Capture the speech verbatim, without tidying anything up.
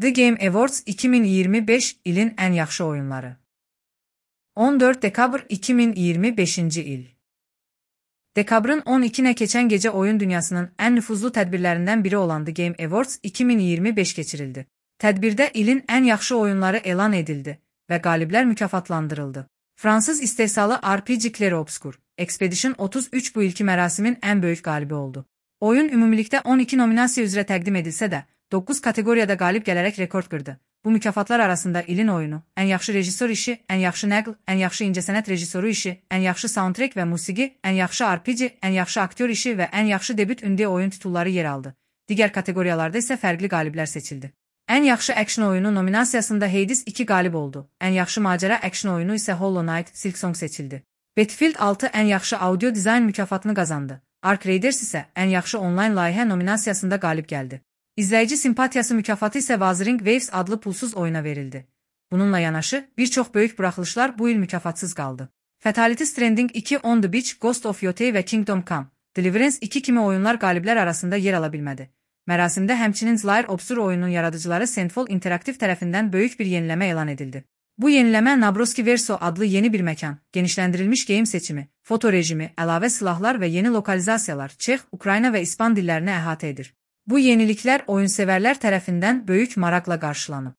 The Game Awards iki min iyirmi beş ilin en yaxşı oyunları. on dörd dekabr iki min iyirmi beşinci il. Dekabrın on ikisinə keçən gecə oyun dünyasının en nüfuzlu tədbirlərindən biri olan The Game Awards iki min iyirmi beş keçirildi. Tədbirdə ilin en yaxşı oyunları elan edildi və qaliblər mükafatlandırıldı. Fransız istehsalı R P G Clair Obscur, Expedition otuz üç bu ilki mərasimin en böyük qalibi oldu. Oyun ümumilikdə on iki nominasiya üzrə təqdim edilsə də, doqquz kateqoriyada qalib gələrək rekord qırdı. Bu mükafatlar arasında ilin oyunu, ən yaxşı rejissor işi, ən yaxşı nəql, ən yaxşı incəsənət rejissoru işi, ən yaxşı soundtrack və musiqi, ən yaxşı R P G, ən yaxşı aktyor işi və ən yaxşı debüt indie oyun titulları yer aldı. Digər kateqoriyalarda isə fərqli qaliblər seçildi. Ən yaxşı action oyunu nominasiyasında Hades iki qalib oldu. Ən yaxşı macəra action oyunu isə Hollow Knight: Silksong seçildi. Battlefield altı ən yaxşı audio dizayn mükafatını qazandı. Ark Raiders isə ən yaxşı onlayn layihə nominasiyasında qalib gəldi. İzləyici simpatiyası mükafatı isə Wuthering Waves adlı pulsuz oyuna verildi. Bununla yanaşı, bir çox böyük buraxılışlar bu il mükafatsız qaldı. Fatality Stranding iki, On the Beach, Ghost of Yotei və Kingdom Come: Deliverance iki kimi oyunlar qaliblər arasında yer ala bilmədi. Mərasimdə həmçinin Clair Obscur oyunun yaradıcıları Sandfall Interactive tərəfindən böyük bir yeniləmə elan edildi. Bu yeniləmə Nabroski Verso adlı yeni bir məkan, genişləndirilmiş game seçimi, foto rejimi, əlavə silahlar və yeni lokalizasiyalar Çex, Ukrayna və İspan dillərini əhatə edir. Bu yeniliklər oyunsevərlər tərəfindən böyük maraqla qarşılanıb.